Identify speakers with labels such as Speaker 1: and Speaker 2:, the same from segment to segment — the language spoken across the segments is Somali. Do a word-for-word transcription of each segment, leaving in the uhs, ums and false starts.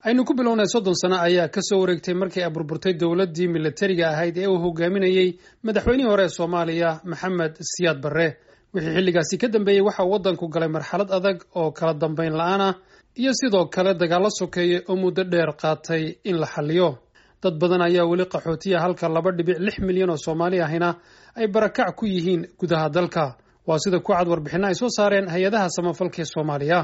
Speaker 1: Aynu ku bilownay, soddon sano ayaa kasoo wareegtay markii ay burburtay dowladdii militariga ahayd ee uu hogaaminayey madaxweynihii hore ee Soomaaliya, Maxamed Siyaad Barre. Wixii xilligaasi ka dambeeyey, waxa uu waddanku galay marxalad adag oo kala dambeyn la-aan ah iyo sidoo kale dagaallo sokeeye oo muddo dheer qaatay in la xalliyo. Dad badan ayaa weli qaxootiya, halka laba dhibic lix milyan oo Soomaali ahina ay barakac ku yihiin gudaha dalka. Waa sida ku cad warbixinno ay soo saareen hay-adaha samafalka ee Soomaaliya.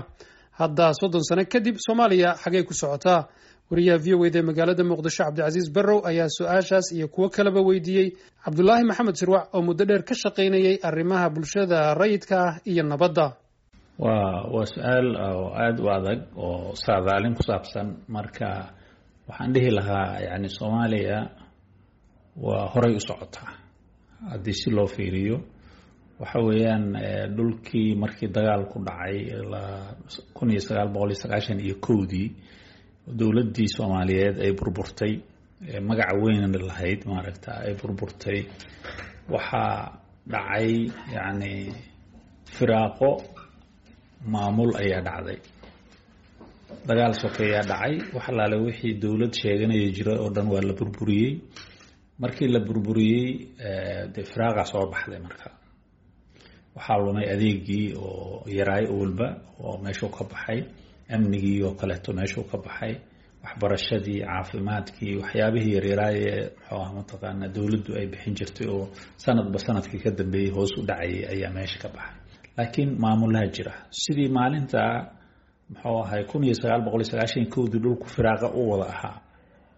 Speaker 1: Hadda, soddon sano kadib, Soomaaliya xagey ku socotaa? Wariyaha V O A da ee magaalada Muqdisho, Cabdicasiis Barrow, ayaa su-aashaas iyo kuwo kaleba weydiiyey Cabdulaahi Maxamed Sirwac oo muddo dheer ka shaqaynayay arrimaha bulshada rayidka ah iyo nabadda.
Speaker 2: waa waa su-aal oo aada u adag oo saadaalin ku saabsan. Marka waxaan dhihi lahaa, yani, Soomaaliya waa horay u socotaa haddii si loo fiiriyo. Waxa weeyaan, dhulkii markii dagaalku dhacay kun iyo sagaal boqol iyo sagaashan iyo kowdii, dowladdii Soomaaliyeed ay burburtay, magaca weynna lahayd, maaragta, ay burburtay, waxaa dhacay, yacni, firaaqo maamul ayaa dhacday, dagaal sokeeyaa dhacay. Wax allaale wixii dowlad sheeganaya jira oo dhan waa la burburiyey. Markii la burburiyey, dee, firaaqa soo baxday. Marka waxaa lumay adeegii oo yaraay owalba oo meeshuu ka baxay, amnigii oo kaleeto meeshuu ka baxay, waxbarashadii, caafimaadkii, waxyaabihii yaryaraayee, muxuu ah, mataqaanaa, dowladdu ay bixin jirtay oo sanadba sanadkii ka dambeeyey hoos u dhacayay ayaa meesha ka baxay. Laakiin maamulaha jira sidii maalinta, muxuu ahay, kun iyo sagaal boqol iyo sagaashan kowdii dhulku firaaqa u wada ahaa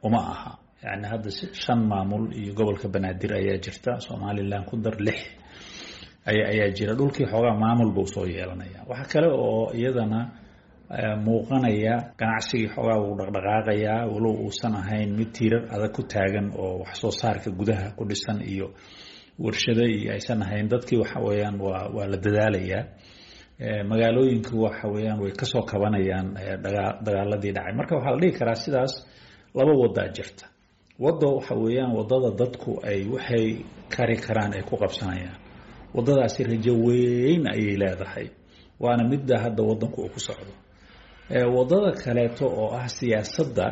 Speaker 2: uma aha. Yani hadda shan maamul iyo gobolka Banaadir ayaa jirta, Somaliland ku dar, lix aya ayaa jira. Dhulkii xoogaa maamul buu soo yeelanaya. Waxa kale oo iyadana muuqanaya, ganacsigii xoogaa wuu dhaqdhaqaaqayaa, walow uusan ahayn mid tiirar adag ku taagan oo wax soo saarka gudaha ku dhisan iyo warshado iyo aysan ahayn. Dadkii, waxa weeyaan, waa waa la dadaalayaa. Magaalooyinku, waxa weeyaan, way kasoo kabanayaan dagaaladii dhacay. Marka waxaa la dhihi karaa sidaas, laba wadaa jirta. Waddo waxa weeyaan waddada dadku ay waxay kari karaan ay ku qabsanayaan. Waddadaasi rajo weyn ayay leedahay, waana midda hadda waddanku uu ku socdo. Waddada kaleeto oo ah siyaasadda,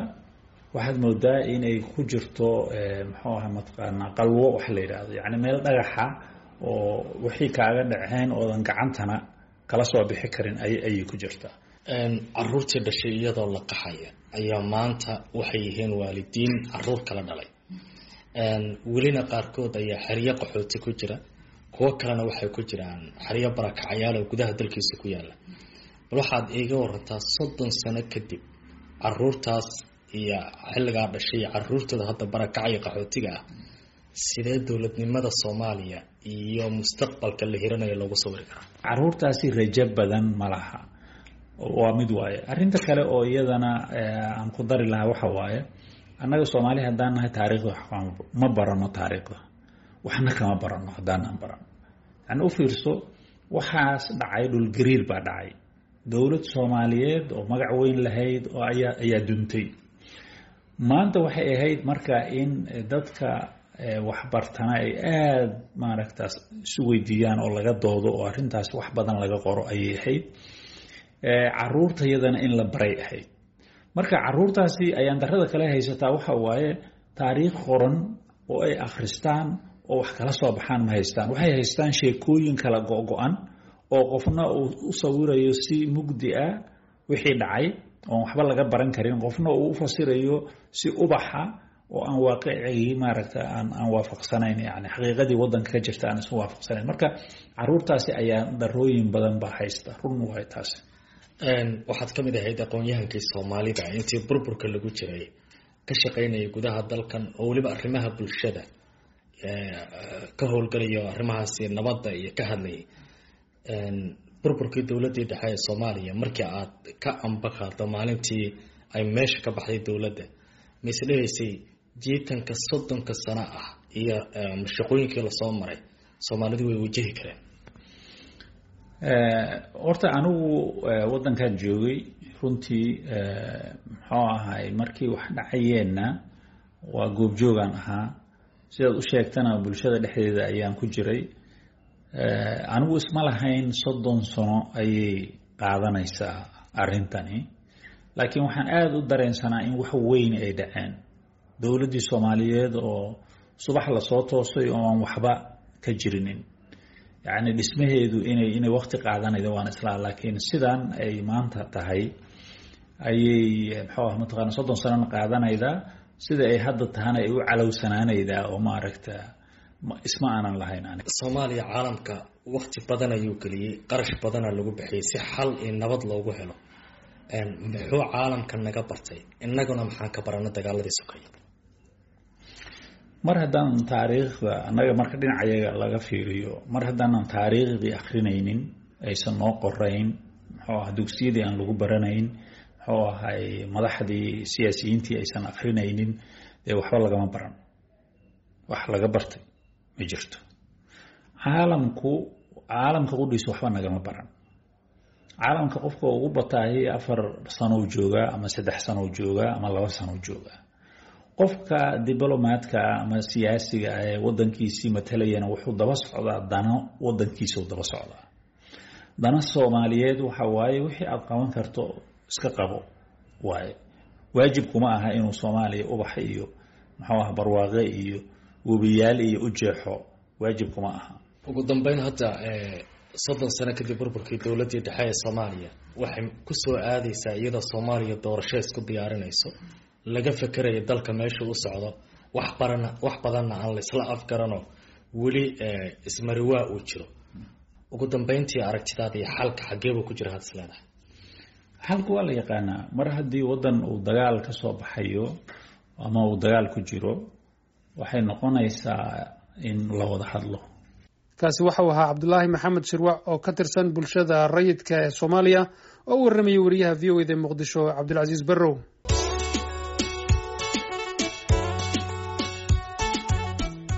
Speaker 2: waxaad moodaa inay ku jirto, muxuu aha, mataqaanaa, qalwo wax la yidhaahdo, yacni meel dhagaxa oo wixii kaaga dhaceen oodan gacantana kala soo bixi karin ay ayay ku jirtaa.
Speaker 3: Caruurtii dhashay iyadoo la qaxaya ayaa maanta waxay yihiin waalidiin caruur kala dhalay. Welina qaarkood ayaa xeryo qaxooti ku jira, kuwo kalena waxay ku jiraan xeryo barakacayaal oo gudaha dalkiisa ku yaala. Bal waxaad iiga warantaa, soddon sano kadib, caruurtaas iyo xilligaa dhashay iyo caruurtooda hadda barakacaya qaxootiga ah, sidee dowladnimada Soomaaliya iyo mustaqbalka la hiranayo loogu sawiri karaa?
Speaker 2: Caruurtaasi rajo badan ma laha, waa mid waaye. Arrinta kale oo iyadana aan ku dari lahaa waxa waaye, annaga Soomaali haddaan nahay, taariikhda ma barano, taariikhda waxna kama barano haddaanaan barano. Yani, u fiirso, waxaas dhacay, dhulgariir baa dhacay, dowlad Soomaaliyeed oo magac weyn lahayd oo ayaa ayaa duntay. Maanta waxay ahayd marka in dadka waxbartana ay aada, maaragtaas, isu weydiiyaan oo laga doodo oo arrintaas wax badan laga qoro ayay ahayd. Caruurta iyadana in la baray ahayd. Marka caruurtaasi ayaan darada kale haysataa waxa waaye, taariikh qoran oo ay akhristaan oo wax kala soo baxaan ma haystaan. Waxay haystaan sheekooyin kala go-go-an oo qofna uu u sawirayo si mugdi ah wixii dhacay oon waxba laga baran karin, qofna uu u fasirayo si ubaxa oo aan waaqicigii, maaragta, aan aan waafaqsanayn, yani xaqiiqadii waddanka ka jirta aan isu waafaqsanayn. Marka caruurtaasi ayaa darooyin badan baa haysta, run waay taasi.
Speaker 3: Waxaad ka mid ahayd aqoon-yahankii Soomaalida intii burburka lagu jiray ka shaqaynayay gudaha dalkan, oo weliba arrimaha bulshada ka howlgalayo, arrimahaasi nabadda iyo ka hadlayay. Burburkii dowladdii dhexe ee Soomaaliya, markii aad ka amba qaado maalintii ay meesha ka baxday dowladda, mise dhehaysay jiitanka soddonka sano ah iyo shaqooyinkii lasoo maray, Soomaalidu way wajahi kareen?
Speaker 2: Horta anigu waddankan joogay runtii, muxuu ahay, markii wax dhacayeenna waa goobjoogaan ahaa. Sidaad u sheegtana, bulshada dhexdeeda ayaan ku jiray. Anigu isma lahayn soddon sano ayay qaadanaysaa arrintani. Laakiin waxaan aada u dareensanaa in wax weyn ay dhaceen, dowladdii Soomaaliyeed oo subax lasoo toosay oo aan waxba ka jirinin, yacni dhismaheedu inay inay waqti qaadanayda waan islaa. Laakiin sidan ay maanta tahay ayay, muxuu ah, mataqaana, soddon sanona qaadanaydaa, sida ay hadda tahana ay u calowsanaanaydaa oo maaragta isma aanan lahayn aniga.
Speaker 3: Soomaaliya caalamka waqti badan ayuu geliyey, qarash badana lagu bixiyey si xal iyo nabad loogu helo. Muxuu caalamka naga bartay, innaguna maxaan ka barana dagaaladii sokaya?
Speaker 2: Mar haddaanan taariikhda annaga, marka dhinacayaga laga fiiriyo, mar haddaanan taariikhdii akrinaynin, aysan noo qorayn, muxuu ah, dugsiyadii aan lagu baranayn, muxuu ahay, madaxdii siyaasiyiintii aysan akrinaynin, dee waxba lagama baran, wax laga bartay ma jirto. Caalamku, caalamka qudhiisa waxba nagama baran. Caalamka qofka ugu bataahi afar sanow joogaa ama saddex sanow joogaa ama laba sanow joogaa. Qofka diblomaadka ama siyaasiga ah ee wadankiisii matalayana wuxuu daba socdaa dano wadankiisau daba socdaa. Dana Soomaaliyeed waxa waaye wixii aad qaban karto iska qabo waaye. Waajibkuma aha inuu Soomaaliya ubax iyo, muxuu ah, barwaaqe iyo webiyaal iyo u jeexo, waajibkuma aha.
Speaker 3: Ugu dambeyn, hadda soddon sano kadib burburkii dowladdii dhexe ee Soomaaliya, waxay kusoo aadeysaa iyadoo Soomaaliya doorasho isku diyaarinayso, laga fekeraya dalka meesha u socdo, wax barana wax badanna aan laisla afgarano, weli ismariwaa uu jiro. Ugu dambeyntii, aragtidaada iyo xalka xageebuu ku jira had is leedahay?
Speaker 2: Xalku waa la yaqaanaa. Mar haddii waddan uu dagaal ka soo baxayo ama uu dagaal ku jiro, waxay noqonaysaa in la wada hadlo.
Speaker 1: Kaasi waxau ahaa Cabdulaahi Maxamed Shirwac oo ka tirsan bulshada rayidka ee Soomaaliya oo u warramayay wariyaha V O E da Muqdisho, Cabdulcasiis Barrow.